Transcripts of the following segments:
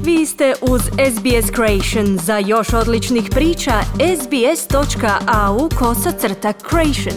Vi ste uz SBS Creation. Za još odličnih priča, sbs.au/creation.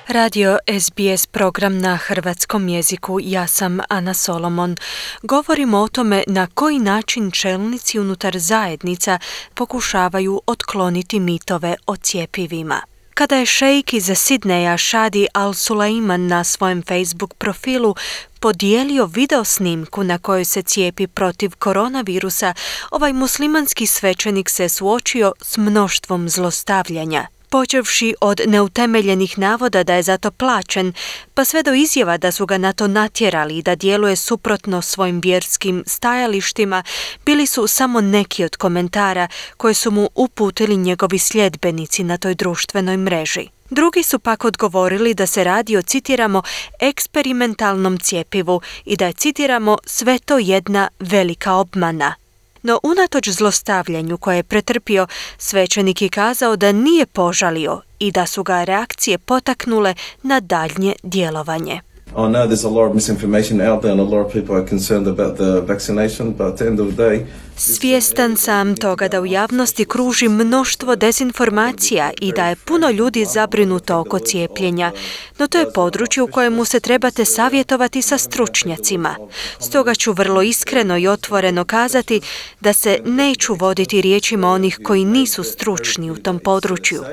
Radio SBS program na hrvatskom jeziku. Ja sam Ana Solomon. Govorimo o tome na koji način čelnici unutar zajednica pokušavaju otkloniti mitove o cjepivima. Kada je šejk iz Sidneja Shadi Al Sulaiman na svojem Facebook profilu podijelio video snimku na kojoj se cijepi protiv koronavirusa, ovaj muslimanski svećenik se suočio s mnoštvom zlostavljanja. Počevši od neutemeljenih navoda da je zato plaćen, pa sve do izjava da su ga na to natjerali i da djeluje suprotno svojim vjerskim stajalištima, bili su samo neki od komentara koje su mu uputili njegovi sljedbenici na toj društvenoj mreži. Drugi su pak odgovorili da se radi o, citiramo, eksperimentalnom cjepivu i da je, citiramo, sve to jedna velika obmana. No unatoč zlostavljanju koje je pretrpio, svećenik je kazao da nije požalio i da su ga reakcije potaknule na daljnje djelovanje. I know there's a lot of misinformation out there and a lot of people are concerned about the vaccination, but at the end of the day... Svjestan sam toga da u javnosti kruži mnoštvo dezinformacija i da je puno ljudi zabrinuto oko cijepljenja, no to je područje u kojemu se trebate savjetovati sa stručnjacima. Stoga ću vrlo iskreno i otvoreno kazati da se neću voditi riječima onih koji nisu stručni u tom području.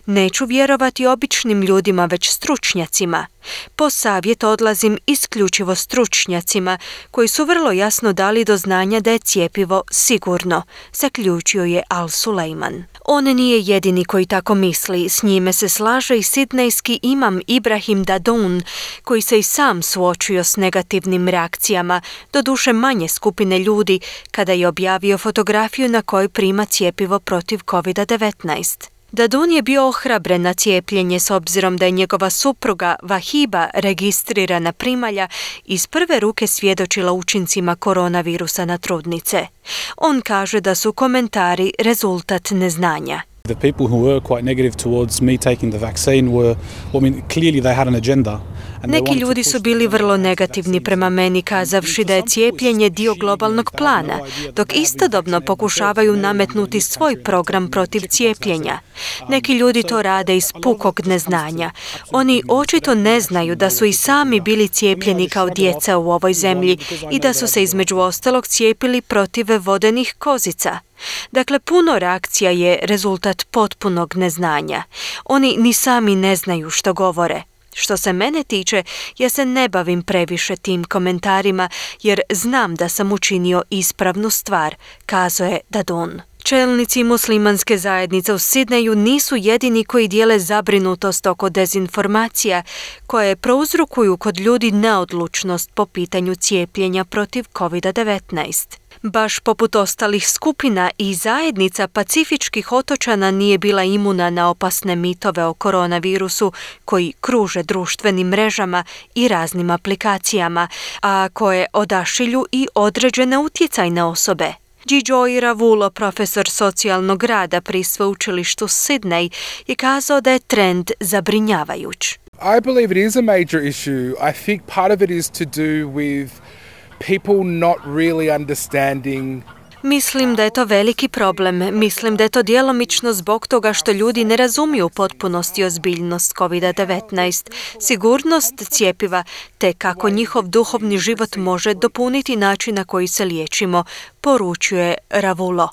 Neću vjerovati običnim ljudima, već stručnjacima. Po savjet odlazim isključivo stručnjacima koji su vrlo jasno dali do znanja da je cjepivo sigurno, zaključio je Al Sulaiman. On nije jedini koji tako misli, s njime se slaže i sidnejski imam Ibrahim Dadoun, koji se i sam suočio s negativnim reakcijama, doduše manje skupine ljudi, kada je objavio fotografiju na kojoj prima cjepivo protiv COVID-19. Dadun je bio ohrabren na cijepljenje s obzirom da je njegova supruga Vahiba, registrirana primalja, iz prve ruke svjedočila učincima koronavirusa na trudnice. On kaže da su komentari rezultat neznanja. The people who were quite negative towards me taking the vaccine were, clearly they had an agenda. Neki ljudi su bili vrlo negativni prema meni, kazavši da je cijepljenje dio globalnog plana, dok istodobno pokušavaju nametnuti svoj program protiv cijepljenja. Neki ljudi to rade iz pukog neznanja. Oni očito ne znaju da su i sami bili cijepljeni kao djeca u ovoj zemlji i da su se između ostalog cijepili protiv vodenih kozica. Dakle, puno reakcija je rezultat potpunog neznanja. Oni ni sami ne znaju što govore. Što se mene tiče, ja se ne bavim previše tim komentarima jer znam da sam učinio ispravnu stvar, kazao je Dadun. Čelnici muslimanske zajednice u Sidneju nisu jedini koji dijele zabrinutost oko dezinformacija koje prouzrokuju kod ljudi neodlučnost po pitanju cijepljenja protiv COVID-19. Baš poput ostalih skupina i zajednica pacifičkih otočana nije bila imuna na opasne mitove o koronavirusu koji kruže društvenim mrežama i raznim aplikacijama, a koje odašilju i određene utjecajne osobe. Joy Ravulo, profesor socijalnog rada pri sveučilištu Sidney, je kazao da je trend zabrinjavajuć. I believe it is a major issue. I think part of it is to do with people not really understanding. Mislim da je to veliki problem. Mislim da je to djelomično zbog toga što ljudi ne razumiju u potpunosti ozbiljnost COVID-19, sigurnost cjepiva, te kako njihov duhovni život može dopuniti način na koji se liječimo, poručuje Ravulo.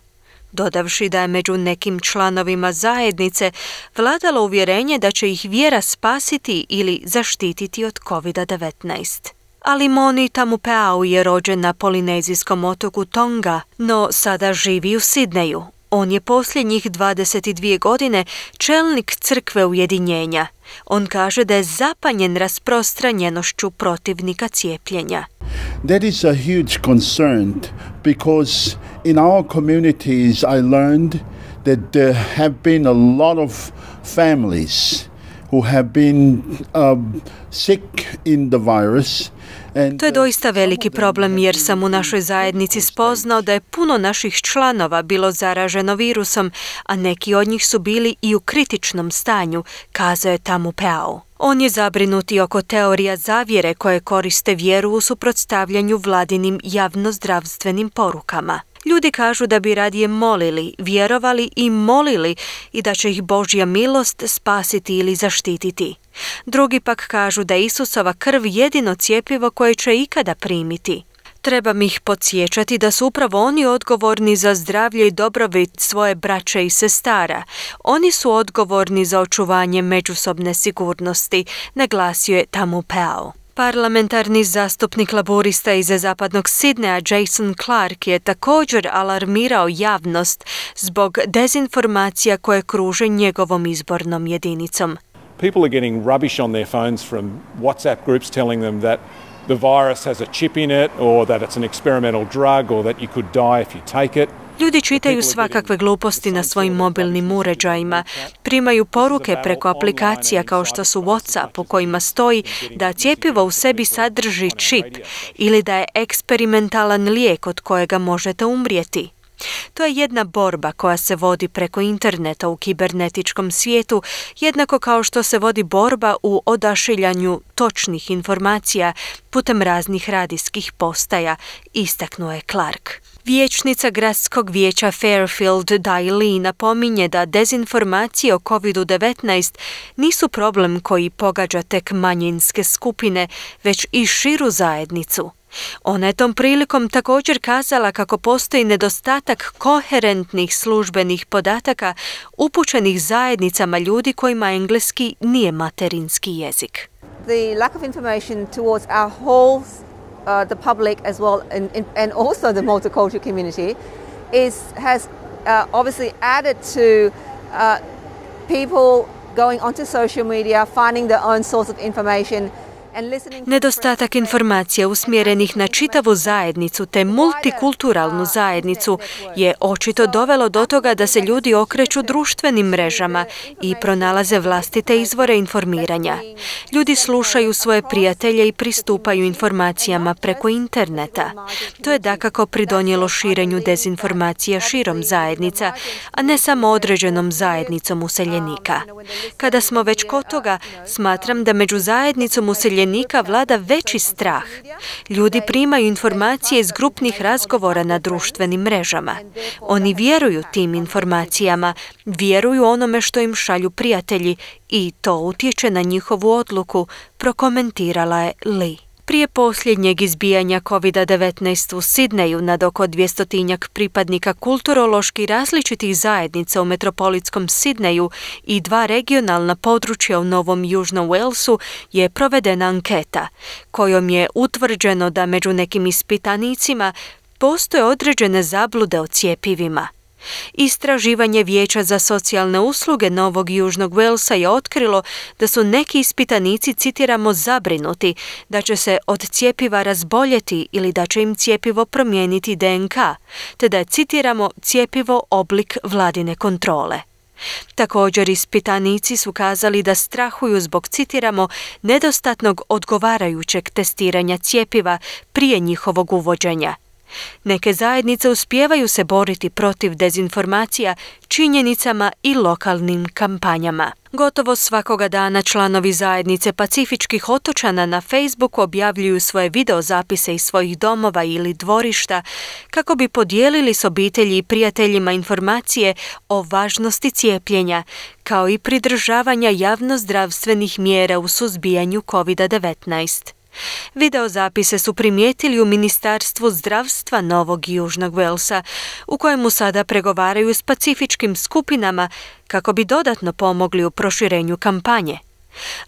Dodavši da je među nekim članovima zajednice vladalo uvjerenje da će ih vjera spasiti ili zaštititi od COVID-19. Ali Moni Tamupeau je rođen na polinezijskom otoku Tonga, no sada živi u Sidneju. On je posljednjih 22 godine čelnik crkve ujedinjenja. On kaže da je zapanjen rasprostranjenošću protivnika cijepljenja. That is a huge concern because in our communities I learned that there have been a lot of families who have been sick in the virus. To je doista veliki problem jer sam u našoj zajednici spoznao da je puno naših članova bilo zaraženo virusom, a neki od njih su bili i u kritičnom stanju, kazao je Tamupeau. On je zabrinut i oko teorija zavjere koje koriste vjeru u suprotstavljanju vladinim javnozdravstvenim porukama. Ljudi kažu da bi radije molili, vjerovali i molili i da će ih Božja milost spasiti ili zaštititi. Drugi pak kažu da je Isusova krv jedino cjepivo koje će ikada primiti. Trebam ih podsjećati da su upravo oni odgovorni za zdravlje i dobrobit svoje braće i sestara. Oni su odgovorni za očuvanje međusobne sigurnosti, naglasio je Tamu Pao. Parlamentarni zastupnik laborista iz zapadnog Sidneja Jason Clark je također alarmirao javnost zbog dezinformacija koje kruže njegovom izbornom jedinicom. People are getting rubbish on their phones from WhatsApp groups telling them that the virus has a chip in it or that it's an experimental drug or that you could die if you take it. Ljudi čitaju svakakve gluposti na svojim mobilnim uređajima, primaju poruke preko aplikacija kao što su WhatsApp u kojima stoji da cjepivo u sebi sadrži čip ili da je eksperimentalan lijek od kojega možete umrijeti. To je jedna borba koja se vodi preko interneta u kibernetičkom svijetu, jednako kao što se vodi borba u odašiljanju točnih informacija putem raznih radijskih postaja, istaknuo je Clark. Vijećnica gradskog vijeća Fairfield Dai Lee napominje da dezinformacije o COVID-19 nisu problem koji pogađa tek manjinske skupine, već i širu zajednicu. Ona je tom prilikom također kazala kako postoji nedostatak koherentnih službenih podataka upućenih zajednicama ljudi kojima engleski nije materinski jezik. The lack of information towards our whole the public as well and also the multicultural community has obviously added to people going onto social media, finding their own source of information. Nedostatak informacija usmjerenih na čitavu zajednicu te multikulturalnu zajednicu je očito dovelo do toga da se ljudi okreću društvenim mrežama i pronalaze vlastite izvore informiranja. Ljudi slušaju svoje prijatelje i pristupaju informacijama preko interneta. To je dakako pridonijelo širenju dezinformacija širom zajednica, a ne samo određenom zajednicom useljenika. Kada smo već kod toga, smatram da među zajednicom useljenika vlada veći strah. Ljudi primaju informacije iz grupnih razgovora na društvenim mrežama. Oni vjeruju tim informacijama, vjeruju onome što im šalju prijatelji i to utječe na njihovu odluku, prokomentirala je Lee. Prije posljednjeg izbijanja COVID-19 u Sidneju nad oko 200 pripadnika kulturološki različitih zajednica u metropolitskom Sidneju i 2 regionalna područja u Novom Južnom Walesu je provedena anketa, kojom je utvrđeno da među nekim ispitanicima postoje određene zablude o cjepivima. Istraživanje Vijeća za socijalne usluge Novog Južnog Walesa je otkrilo da su neki ispitanici, citiramo, zabrinuti da će se od cjepiva razboljeti ili da će im cjepivo promijeniti DNK, te da je, citiramo, cjepivo oblik vladine kontrole. Također ispitanici su kazali da strahuju zbog, citiramo, nedostatnog odgovarajućeg testiranja cjepiva prije njihovog uvođenja. Neke zajednice uspijevaju se boriti protiv dezinformacija činjenicama i lokalnim kampanjama. Gotovo svakoga dana članovi zajednice pacifičkih otočana na Facebooku objavljuju svoje videozapise iz svojih domova ili dvorišta kako bi podijelili s obitelji i prijateljima informacije o važnosti cijepljenja, kao i pridržavanja javnozdravstvenih mjera u suzbijanju COVID-19. Videozapise su primijetili u Ministarstvu zdravstva Novog Južnog Walesa, u kojemu sada pregovaraju s pacifičkim skupinama kako bi dodatno pomogli u proširenju kampanje.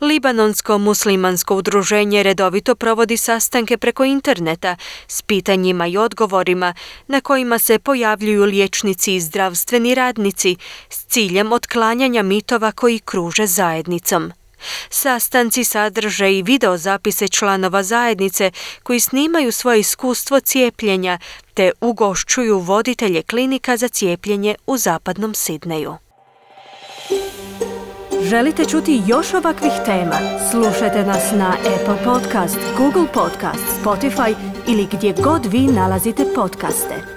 Libanonsko muslimansko udruženje redovito provodi sastanke preko interneta s pitanjima i odgovorima na kojima se pojavljuju liječnici i zdravstveni radnici s ciljem otklanjanja mitova koji kruže zajednicom. Sastanci sadrže i videozapise članova zajednice koji snimaju svoje iskustvo cijepljenja te ugošćuju voditelje klinika za cijepljenje u zapadnom Sidneju. Želite čuti još ovakvih tema? Slušajte nas na Apple Podcast, Google Podcast, Spotify ili gdje god vi nalazite podcaste.